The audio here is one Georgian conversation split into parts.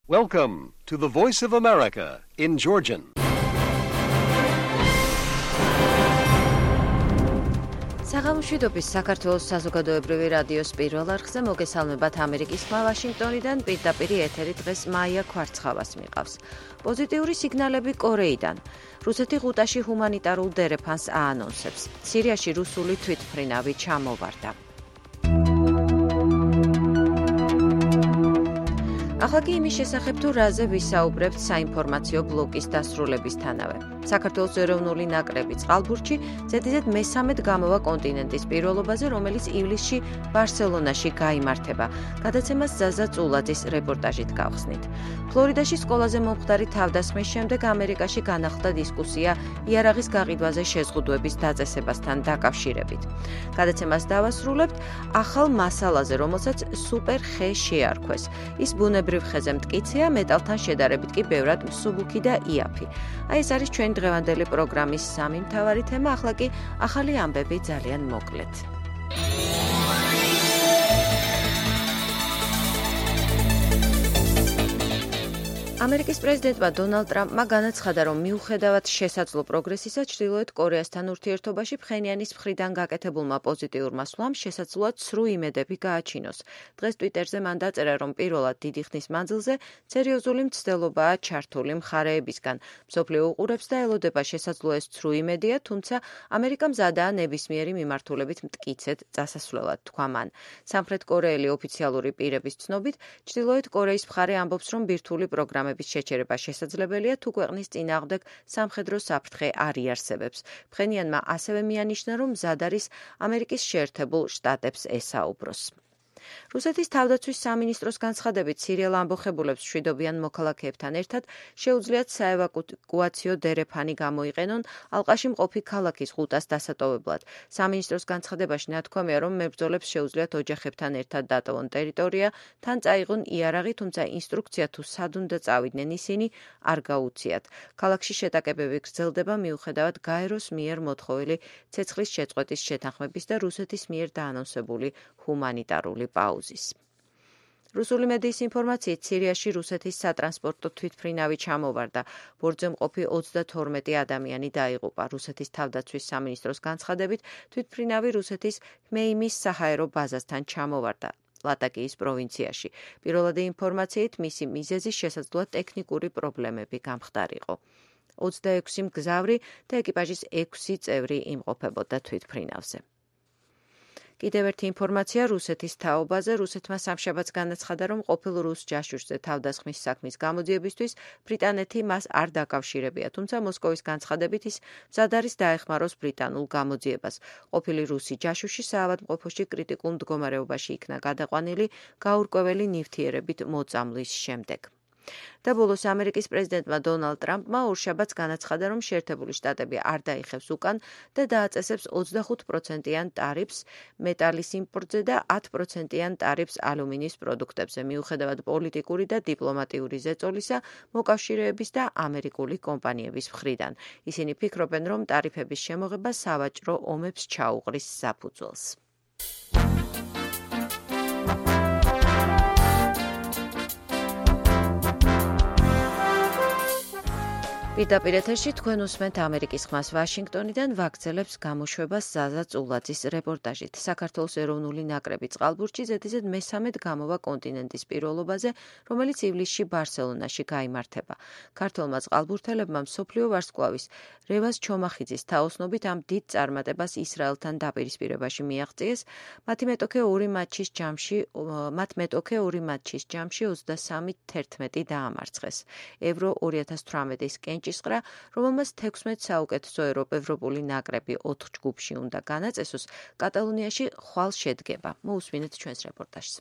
Welcome to the Voice of America in Georgian. საღამოშვიდობის საქართველოს საზოგადოებრივი რადიოს პირველ არხზე მოგესალმებათ ამერიკის ხმა ვაშინგტონიდან პირდაპირ ეთერი დღეს მაია ქვარცხავას მიყავს. პოზიტიური სიგნალები კორეიდან. რუსეთი ღუტაში ჰუმანიტარულ დერეფანს აანონსებს. სირიაში რუსული თვითმფრინავი ჩამოვარდა. ახლა კი იმის შესახებ თუ რაზე ვისაუბრებთ საინფორმაციო ბლოკის დასრულებისთანავე. საქართველოს ეროვნული ნაკრები წყალბურთში ზედიზედ მესამედ გამოვა კონტინენტის პირველობაზე, რომელიც ივლისში ბარსელონაში გაიმართება. გადაცემას ზაზა წულაძის რეპორტაჟით გავხსნით. ფლორიდაში სკოლაზე მომხდარი თავდასხმის შემდეგ ამერიკაში განახლდა დისკუსია იარაღის გაყიდვაზე შეზღუდვების დაწესებასთან დაკავშირებით. გადაცემას დავასრულებთ ახალ მასალაზე, რომელსაც სუპერ ხე შეარქვეს. ის ბუნებრივ ხეზე მტკიცეა, მეტალთან შედარებით კი ბევრად მსუბუქი და იაფი. აი ეს არის ჩვენი დღევანდელი პროგრამის სამი მთავარი თემა, ახლა კი ახალი ამბები ძალიან მოკლედ. ამერიკის პრეზიდენტმა დონალდ ტრამპმა განაცხადა, რომ მიუხედავად შესაძლო პროგრესისა ჩრდილოეთ კორეასთან ურთიერთობაში ფხენიანის მხრიდან გაკეთებულმა პოზიტიურმა სვლამ შესაძლოა ცრუ იმედები გააჩინოს. დღეს ტვიტერზე მან დაწერა, რომ პირველად დიდი ხნის მანძილზე სერიოზული მცდელობაა ჩართული მხარეებისგან. მსოფლიო უყურებს და ელოდება შესაძლოა ეს ცრუ იმედია, თუმცა ამერიკა მზადაა ნებისმიერი მიმართულებით მტკიცედ წასასვლელად, თქვა მან. სამხრეთ კორეელი ოფიციალური პირების ცნობით, ჩრდილოეთ კორეის მხარე ამბობს, რომ ბირთვული პროგრამა შეჩერება შესაძლებელია, თუ ქვეყნის წინააღმდეგ სამხედრო საფრთხე არ იარსებებს. ფხენიანმა ასევე მიანიშნა, რომ მზად არის ამერიკის შეერთებულ შტატებს ესაუბროს. რუსეთის თავდაცვის სამინისტროს განცხადებით, სირიელ ამბოხებულებს მშვიდობიან მოქალაქეებთან ერთად შეუძლიათ საევაკუაციო დერეფანი გამოიყენონ ალყაში მყოფი ქალაქის ღუტას დასატოვებლად. სამინისტროს განცხადებაში ნათქვამია, რომ მებრძოლებს შეუძლიათ ოჯახებთან ერთად დატოვონ ტერიტორია, თან წაიღონ იარაღი, თუმცა ინსტრუქცია თუ სად უნდა წავიდნენ ისინი არ გაუციათ. ქალაქში შეტაკებები გრძელდება მიუხედავად გაეროს მიერ მოთხოვილი ცეცხლის შეწყვეტის შეთანხმების და რუსეთის მიერ დაანონსებული ჰუმანიტარული პაუზის. რუსული მედიის ინფორმაციით, სირიაში რუსეთის სატრანსპორტო თვითმფრინავი ჩამოვარდა. ბორტზე მყოფი 32 ადამიანი დაიღუპა. რუსეთის თავდაცვის სამინისტროს განცხადებით, თვითმფრინავი რუსეთის ჰმეიმის საჰაერო ბაზასთან ჩამოვარდა. ლატაკიის პროვინციაში. პირველადი ინფორმაციით, მისი მიზეზი შესაძლოა ტექნიკური პრობლემები გამხდარიყო. 26 მგზავრი და ეკიპაჟის 6 წევრი იმყოფებოდა თვითმფრინავზე. კიდევ ერთი ინფორმაცია რუსეთის თაობაზე. რუსეთმა სამშაბათს განაცხადა, რომ ყოფილ რუს ჯაშუშზე თავდასხმის საქმის გამოძიებისთვის ბრიტანეთი მას არ დაკავშირებია, თუმცა მოსკოვის განცხადებით ის მზად არის დაეხმაროს ბრიტანულ გამოძიებას. ყოფილი რუსი ჯაშუში საავადმყოფოში კრიტიკულ მდგომარეობაში იქნა გადაყვანილი გაურკვეველი ნივთიერებით მოწამვლის შემდეგ. და ბოლოს ამერიკის პრეზიდენტმა დონალდ ტრამპმა ორშაბათს განაცხადა, რომ შეერთებული შტატები არ დაიხევს უკან და დააწესებს 25%-იან ტარიფს მეტალის იმპორტზე და 10%-იან ტარიფს ალუმინის პროდუქტებზე, მიუხედავად პოლიტიკური და დიპლომატიური ზეწოლისა მოკავშირეების და ამერიკული კომპანიების მხრიდან. ისინი ფიქრობენ, რომ ტარიფების შემოღება სავაჭრო ომებს ჩაუყრის საფუძველს. პირდაპირ ეთერში თქვენ უსმენთ ამერიკის ხმას ვაშინგტონიდან ვაგრძელებს გამოშვებას ზაზა წულაძის რეპორტაჟით. საქართველოს ეროვნული ნაკრები წყალბურთში ზედიზედ მესამედ გამოვა კონტინენტის პირველობაზე, რომელიც ივლისში ბარსელონაში გაიმართება. ქართველმა წყალბურთელებმა მსოფლიო ვარსკვლავის რევაზ ჩომახიძის თაოსნობით ამ დიდ წარმატებას ისრაელთან დაპირისპირებაში მიაღწიეს. მათ მეტოქე ორი მატჩის ჯამში 23-11 დაამარცხეს. ევრო 2018-ის კენჭისყრა, რომელმაც 16 საუკეთესო ევროპული ნაკრები 4 ჯგუფში უნდა განაწესოს, კატალონიაში ხვალ შედგება. მოусმინეთ ჩვენს რეპორტაჟს.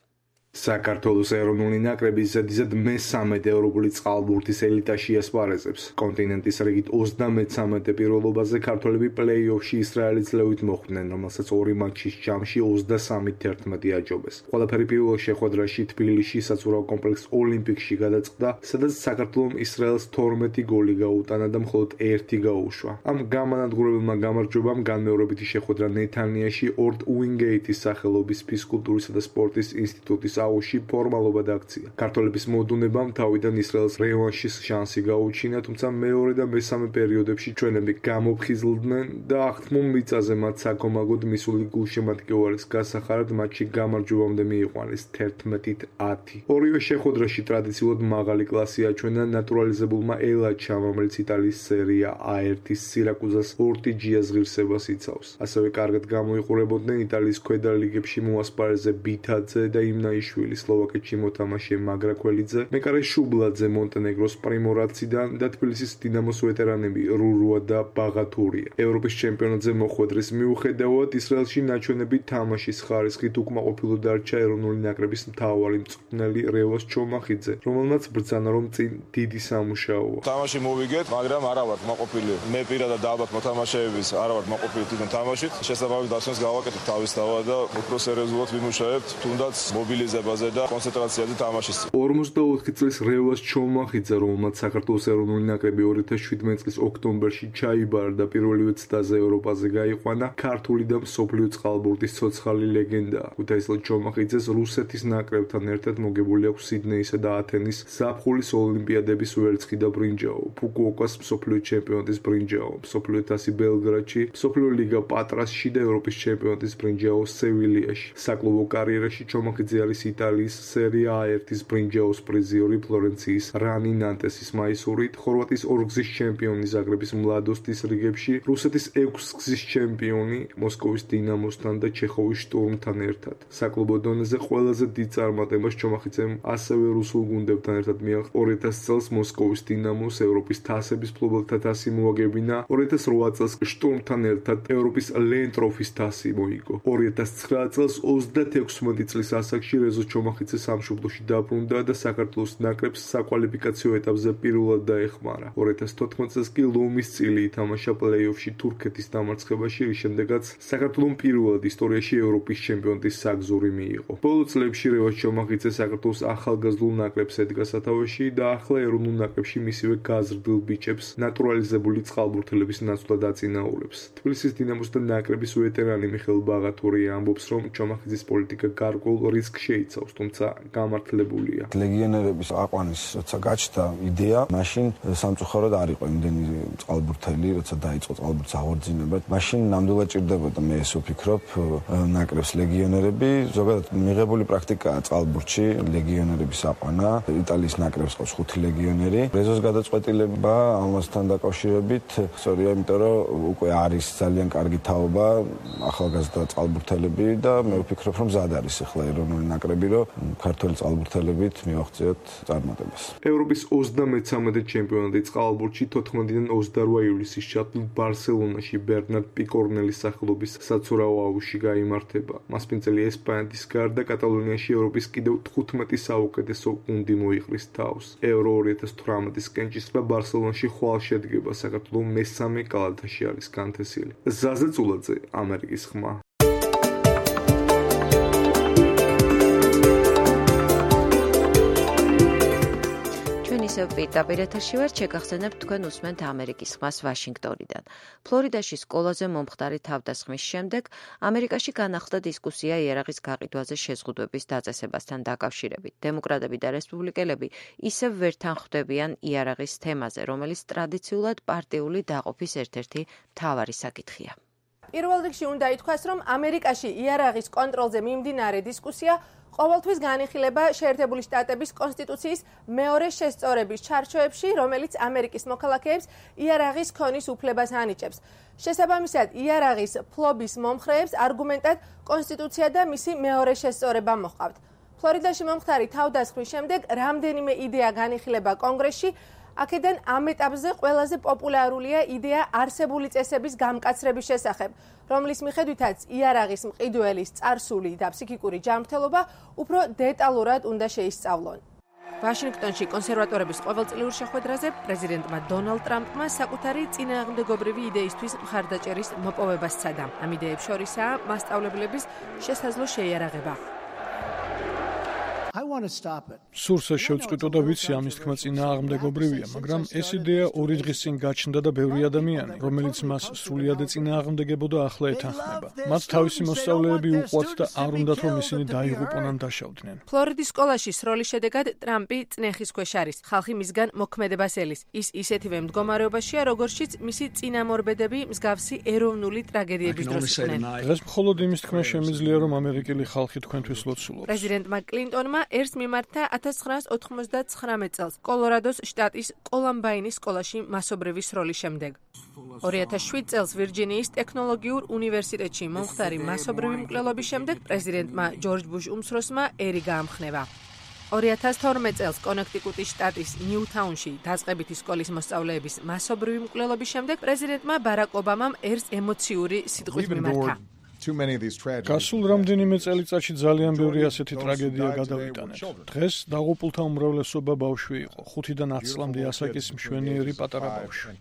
საქართველოს ეროვნული ნაკრები ზედიზედ მესამედ ევროპული წყალბურთის ელიტაში ასპარეზებს. კონტინენტის რიგით 33 პირველობაზე ქართველები პლეი-ოფში ისრაელის ლევით მოხვდნენ, რომელსაც ორი მატჩის ჯამში 23-11 აჯობეს. ყველაფერი პირველ შეხვედრაში თბილისში საცურაო კომპლექს ოლიმპიკში გადაწყდა, სადაც საქართველომ ისრაელს 12 გოლი გაუტანა და მხოლოდ 1 გაუშვა. ამ გამანადგურებელმა გამარჯვებამ განმეორებითი შეხვედრა ნეთანიაში ორდ უინგეიტის სახელობის ფიზკულტურისა და სპორტის ინსტიტუტის აუზში ფორმალობა დაქცია. ქართველების მოდუნებამ თავიდან ისრაელს რევანშის შანსი გაუჩინა, თუმცა მეორე და მესამე პერიოდებში ჩვენები გამოფხიზლდნენ და აღთმულ მიწაზე მათ საქომაგოდ მისული გულშემატკივარის გასახარად მატჩი გამარჯვებამდე მიიყვანეს 11-10. ორივე შეხვედრაში ტრადიციულად მაღალი კლასი აჩვენა ნატურალიზებულმა ელაჩამ, რომელიც იტალიის სერია A1-ის სირაკუზას ორტიჯიას ღირსებას იცავს. ასევე კარგად გამოიყურებოდნენ იტალიის ქვედა ლიგებში მოასპარეზე ბითაძე და იმნაიშვილი, სლოვაკეთში მოთამაშე მაგრაკველიძე, მეკარე შუბლაძე მონტენეგროს პრიმორაციდან და თბილისის დინამოს ვეტერანები რურუა და ბაღათურია. ევროპის ჩემპიონატზე მოხვედრის მიუხედავად ისრაელში ნაჩვენები თამაშის ხარისხით უკმაყოფილო დარჩა ეროვნული ნაკრების მთავარი მწვრთნელი რევაზ ჩომახიძე, რომელმაც ბრძანა რომ წინ დიდი სამუშაოა. თამაში მოვიგეთ, მაგრამ არა ვარ მოყოფილი. მე პირადად ალბათ მოთამაშეების არა ვარ მოყოფილი თვითონ თამაშით. შესაბამის დასვენს გავაკეთებ თავისთავად და უფრო სერიოზულად ვიმუშავებთ, თუნდაც მობილიზებაზე და კონცენტრაციაზე თამაშის. 54 წლის რევაზ ჩომახიძე, რომელმაც საქართველოს ეროვნული ნაკრები 2017 წლის ოქტომბერში ჩაიბარა და პირველივე ცდაზე ევროპაზე გაიყვანა, ქართული და მსოფლიო წყალბურთის ცოცხალი ლეგენდაა. ქუთაისელ ჩომახიძეს რუსეთის ნაკრებთან ერთად მოგებული აქვს სიდნეისა და ათენის ზაფხულის ოლიმპიადების ვერცხი და ბრინჯაო, ფუკუოკას მსოფლიო ჩემპიონატის ბრინჯაო, მსოფლიო თასი ბელგრადში, მსოფლიო ლიგა პატრასში და ევროპის ჩემპიონატის ბრინჯაო სევილიაში. საკლუბო კარიერაში ჩომახიძე არის იტალიის სერია A1-ის ბრინჯაოს პრიზიორი ფლორენციის რანი ნანტესის მაისურით, ხორვატიის ორგზის ჩემპიონი ზაგრების მლადოსტის რიგებში, რუსეთის 6 გზის ჩემპიონი მოსკოვის დინამოსთან და ჩეხოვის შტურმთან ერთად. საკლუბო დონეზე ყველაზე დიდ წარმატებას ჩომახიძემ ასევე რუსულ გუნდებთან ერთად მიაღწია. 2000 წელს მოსკოვის დინამოს ევროპის თასების მფლობელთა თასი მოაგებინა, 2008 წელს შტურმთან ერთად ევროპის ლენტროფის თასი მოიგო. 2009 წელს 36 წლის ასაკში რეზო ჩომახიძე სამშობლოში დაბრუნდა და საქართველოს ნაკრებს საკვალიფიკაციო ეტაპზე პირველად დაეხმარა. 2014 წელს კი ლომის წილი ითამაშა პლეი-ოფში თურქეთის დამარცხებაში, რის შემდეგაც საქართველოს პირველად ისტორიაში ევროპის ჩემპიონატის საგზური მიიღო. ბოლო წლებში რევაზ ჩომახიძე საქართველოს ახალგაზრდულ ნაკრებს ედგა სათავეში და ახლა ეროვნულ ნაკრებში მისივე გაზრდილ ბიჭებს ნატურალიზებული წყალბურთელების ნაცვლად აწინაურებს. თბილისის დინამოს და ნაკრების ვეტერანი მიხეილ ბაღათურია ამბობს, რომ ჩომახიძის პოლიტიკა გარკვეულ რისკს შეიცავს, თუმცა გამართლებულია. ლეგიონერების აყვანის როცა გაჩნდა იდეა, მაშინ სამწუხაროდ არ იყო იმდენი წყალბურთელი, როცა დაიწყო წყალბურთის აღორძინება. მაშინ ნამდვილად ჭირდებოდა, მე ეს ვფიქრობ, ნაკრებს ლეგიონერები. ზოგადად მიღებული პრაქტიკაა წყალბურთში ლეგიონერების აყვანა. იტალიის ნაკრებს ყავს 5 ლეგიონერი. რეზოს გადაწყვეტილება ამასთან დაკავშირებით სწორია, იმიტომ რომ უკვე არის ძალიან კარგი თაობა ახალგაზრდა წყალბურთელები და მე ვფიქრობ, რომ მზად არის ახლა ეროვნული ნაკრები, რომ ქართველი წყალბურთელებით მივახციოთ წარმატებას. ევროპის 33 ჩემპიონატი წყალბურთში 14-დან 28 ივლისის ჩათვლით ბარსელონაში ბერნარდ პიკორნელის სახელობის საცურაო აუზში გაიმართება. მასპინძელი ესპანეთის გარდა კატალონიაში ევროპის კიდევ 15 საუკეთესო გუნდი მოიყრის თავს. ევრო 2018-ის კენჭისყრა ბარსელონაში ხვალ შედგება, საქართველოს მესამე კალათაში არის განთესილი. ზაზე წულაძე, ამერიკის ხმა. ისევ პირდაპირ ეთერში ვართ, შეგახსენებთ თქვენ უსმენთ ამერიკის ხმას ვაშინგტონიდან. ფლორიდაში სკოლაზე მომხდარი თავდასხმის შემდეგ ამერიკაში განახლდა დისკუსია იარაღის გაყიდვაზე შეზღუდვების დაწესებასთან დაკავშირებით. დემოკრატები და რესპუბლიკელები ისევ ვერ თანხვდებიან იარაღის თემაზე, რომელიც ტრადიციულად პარტიული დაყოფის ერთ-ერთი მთავარი საკითხია. პირველ რიგში უნდა ითქვას, რომ ამერიკაში იარაღის კონტროლზე მიმდინარე დისკუსია ყოველთვის განიხილება შეერთებული შტატების კონსტიტუციის მეორე შესწორების ჩარჩოებში, რომელიც ამერიკის მოქალაქეებს იარაღის ქონის უფლებას ანიჭებს. შესაბამისად, იარაღის ფლობის მომხრეებს არგუმენტად კონსტიტუცია და მისი მეორე შესწორება მოჰყავთ. ფლორიდაში მომხდარი თავდასხმის შემდეგ რამდენიმე იდეა განიხილება კონგრესში, აქედან ამ ეტაპზე ყველაზე პოპულარულია იდეა არსებული წესების გამკაცრების შესახებ, რომლის მიხედვითაც იარაღის მყიდველის წარსული და ფსიქიკური ჯანმრთელობა უფრო დეტალურად უნდა შეისწავლონ. ვაშინგტონში კონსერვატორების ყოველწლიურ შეხვედრაზე პრეზიდენტმა დონალდ ტრამპმა საკუთარი წინააღმდეგობრივი იდეისთვის მხარდაჭერის მოპოვება სცადა. ამ idეებს შორისაა მასწავლებლების შესაძლო შეიარაღება. სურს ეს შევწყვიტო და ვიცი ამის თქმა წინააღმდეგობრივია, მაგრამ ეს იდეა 2 დღის წინ გაჩნდა და ბევრი ადამიანი, რომელიც მას სრულიად ეწინააღმდეგებოდა, ახლა ეთანხმება. მათ თავისი მოსწავლეები უყვათ და არ უნდათ რომ ისინი დაიღუპონ ან დაშავდნენ. ფლორიდის სკოლაში სროლის შედეგად ტრამპი წნეხის ქვეშ არის. ხალხი მისგან მოქმედებას ელის. ის ისეთივე მდგომარეობაშია, როგორშიც მისი წინამორბედები მსგავსი ეროვნული ტრაგედიების დროს იყვნენ. დღეს მხოლოდ იმის თქმა შემიძლია, რომ ამერიკელი ხალხი თქვენთვის ლოცულობს. პრეზიდენტმა კლინტონმა ერს მიმართა 1999 წელს კოლორადოს შტატის კოლამბაინის სკოლაში მასობრივი სროლის შემდეგ. 2007 წელს ვირჯინიის ტექნოლოგიურ უნივერსიტეტში მომხდარი მასობრივი მკვლელობის შემდეგ პრეზიდენტმა ჯორჯ ბუშ უმცროსმა ერი გაამხნევა. 2012 წელს კონექტიკუტის შტატის ნიუთაუნში დაწყებითი სკოლის მოსწავლეების მასობრივი მკვლელობის შემდეგ პრეზიდენტმა ბარაკ ობამამ ერს ემოციური სიტყვის მიმართა. გასულ რამდენიმე წელიწადში ძალიან ბევრი ასეთი ტრაგედია გადავიტანეთ. დღეს დაღუპულთა უმრავლესობა ბავშვი იყო, 5-დან 10 წლამდე ასაკის მშვენიერი პატარა ბავშვი.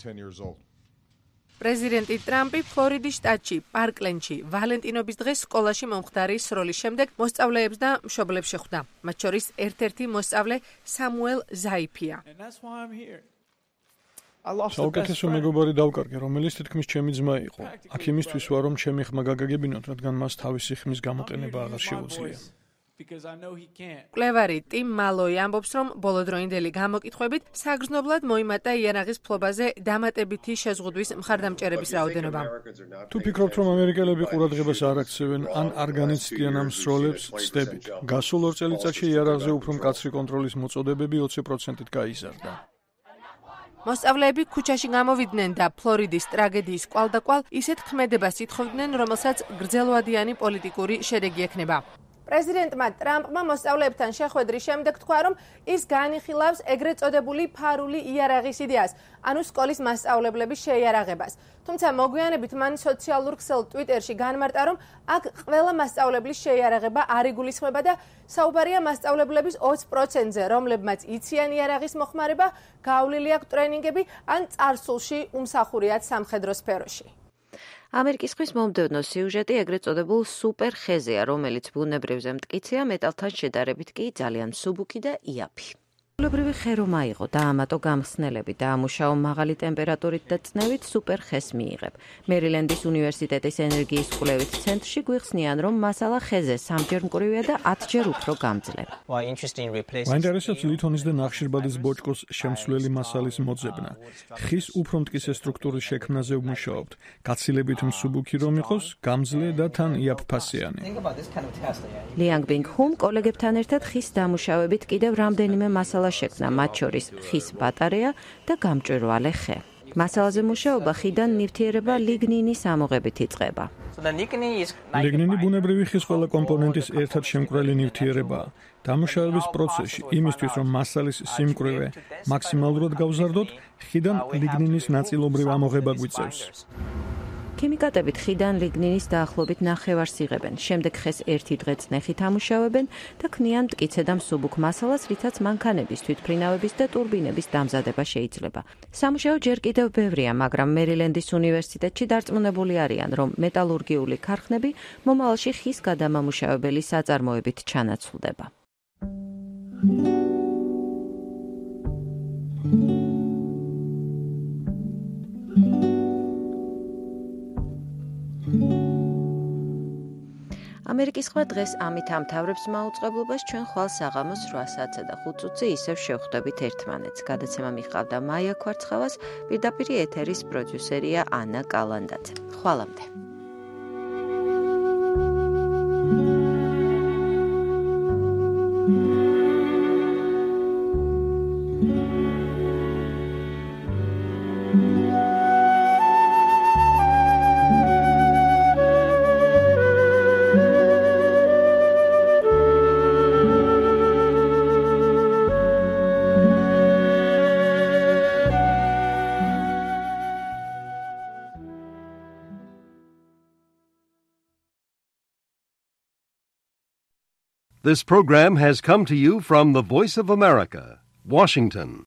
პრეზიდენტი ტრამპი ფლორიდის შტატში, პარკლენდში, ვალენტინობის დღეს სკოლაში მომხდარი სროლის შემდეგ მოსწავლეებს და მშობლებს შეხვდა. მათ შორის ერთ-ერთი მოსწავლე სამუელ ზაიფია. საუკეთესო მეგობარი დავკარგე, რომელიც თითქმის ჩემი ძმა იყო. აქ იმისთვის ვარ, რომ ჩემი ხმა გაგაგებინოთ, რადგან მას თავისი ხმის გამოყენება აღარ შეუძლია. მკვლევარი ტიმ მალოი ამბობს, რომ ბოლოდროინდელი გამოკითხვებით საგრძნობლად მოიმატა იარაღის ფლობაზე დამატებითი შეზღუდვის მხარდამჭერების რაოდენობა. თუ ფიქრობთ, რომ ამერიკელები ყურადღებას არ აქცევენ ან არ განიცდიან ამ სროლებს, ცდებით. გასულ 2 წელიწადში იარაღზე უფრო მკაცრი კონტროლის მოწოდებები 20%-ით გაიზარდა. მოსწავლეები ქუჩაში გამოვიდნენ და ფლორიდის ტრაგედიის კვალდაკვალ ისეთ ქმედებას ითხოვდნენ, რომელსაც გრძელვადიანი პოლიტიკური შედეგი ექნება. პრეზიდენტმა ტრამპმა მოსწავლეებთან შეხვედრის შემდეგ თქვა, რომ ის განიხილავს ეგრეთ წოდებული ფარული იარაღის იდეას, ანუ სკოლის მასწავლებლების შეიარაღებას. თუმცა მოგვიანებით მან სოციალურ ქსელ ტვიტერში განმარტა, რომ აქ ყველა მასწავლებლის შეიარაღება არ იგულისხმება და საუბარია მასწავლებლების 20%-ზე, რომლებმაც იციან იარაღის მოხმარება, გავლილი აქვს ტრენინგები ან წარსულში უმსახურიათ სამხედრო სფეროში. ამერიკის ხმის მომდევნო სიუჟეტი ეგრეთ წოდებულ სუპერ ხეზეა, რომელიც ბუნებრივზე მტკიცეა, მეტალთან შედარებით კი ძალიან მსუბუქი და იაფი. ჩვეულებრივი ხე რომ აიღო და ამატო გამხსნელები და ამუშაო მაღალი ტემპერატურით და წნევით სუპერ ხეს მიიღებ. მერილენდის უნივერსიტეტის ენერგიის კვლევით ცენტრში გვიხსნიან, რომ მასალა ხეზე 3-ჯერ მკვრივია და 10-ჯერ უფრო გამძლე. მაინტერესებს ლითონის და ნახშირბადის ბოჭკოს შემცვლელი მასალის მოძებნა. ხის უფრო მტკიცე სტრუქტურის შექმნაზე ვმუშაობთ. გაცილებით მსუბუქი რომ იყოს, გამძლე და თან იაფფასიანი. ლიანგ ბინგ ჰუმ კოლეგებთან ერთად ხის დამუშავებით კიდევ რამდენიმე მასალა შექმნა, მათ შორის ხის ბატარეა და გამჭვირვალე ხე. მასალაზე მუშაობა ხიდან ნივთიერება ლიგნინის ამოღებით იწყება. ლიგნინი ბუნებრივი ხის ყველა კომპონენტის ერთად შემკვრელი ნივთიერებაა. დამუშავების პროცესში იმისთვის, რომ მასალის სიმკვრივე მაქსიმალურად გავზარდოთ, ხიდან ლიგნინის ნაწილობრივ ამოღება გვიწევს. ქიმიკატებით ხიდან ლიგნინის დაახლოებით 9-ვარს იღებენ. შემდეგ ხეს 1 დღე წნეხით ამუშავებენ და ქმნიან მტკიცე და მსუბუქ მასალას, რითაც მანქანების, თვითმფრინავების და ტურბინების დამზადება შეიძლება. სამუშაო ჯერ კიდევ ბევრია, მაგრამ მერილენდის უნივერსიტეტში დარწმუნებული არიან, რომ მეტალურგიული ქარხნები მომავალში ხის გადამამუშავებელი საწარმოებით ჩანაცვლდება. ამერიკის ხმა დღეს ამით ამთავრებს მაუწყებლობას. ჩვენ ხვალ საღამოს 8:05 ისევ შევხვდებით ერთმანეთს. გადაცემა მიყავდა მაია ქვარცხავას, პირდაპირ ეთერის პროდიუსერია ანა კალანდაძე. ხვალამდე. This program has come to you from the Voice of America, Washington.